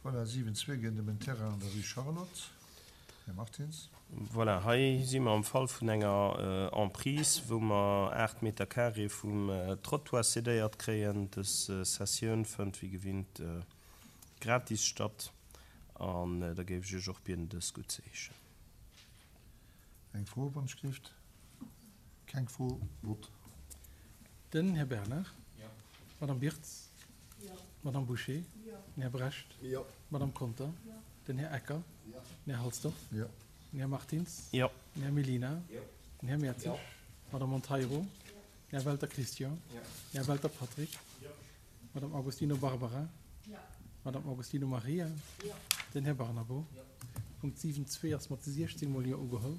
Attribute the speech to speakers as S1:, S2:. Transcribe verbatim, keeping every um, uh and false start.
S1: Voilà, siwen zwee geet ëm en Terrain an der Rue Charlotte. Här Martins.
S2: Voilà, hei si mer am Fall vun enger Emprise, wou mer aacht Meter carré vum Trottoir cédéiert kréien. Dës Cessioun fënnt wéi gewinnt gratis statt an da géif ech Iech och bieden, dës guttzeheeschen.
S1: Eng Fro, wann ech gelift? Keng Fro. Vott.
S3: Den Här Bernard. D'Madame Birtz. D'Madame Bouché. Den Här Brecht. D'Madame Conter. Den Här Ecker. Den Här Halsdorf. Den Här Martins. Den Här Mellina. Den Här Mertzig. D'Madame Monteiro. Den Här Welter Christian. Den Här Welter Patrick. D'Madame Agostino Barbara. D'Madame Agostino Maria. Den Här Barnabo. Punkt siwen zwee ass mat siechzéng mol Jo ugeholl.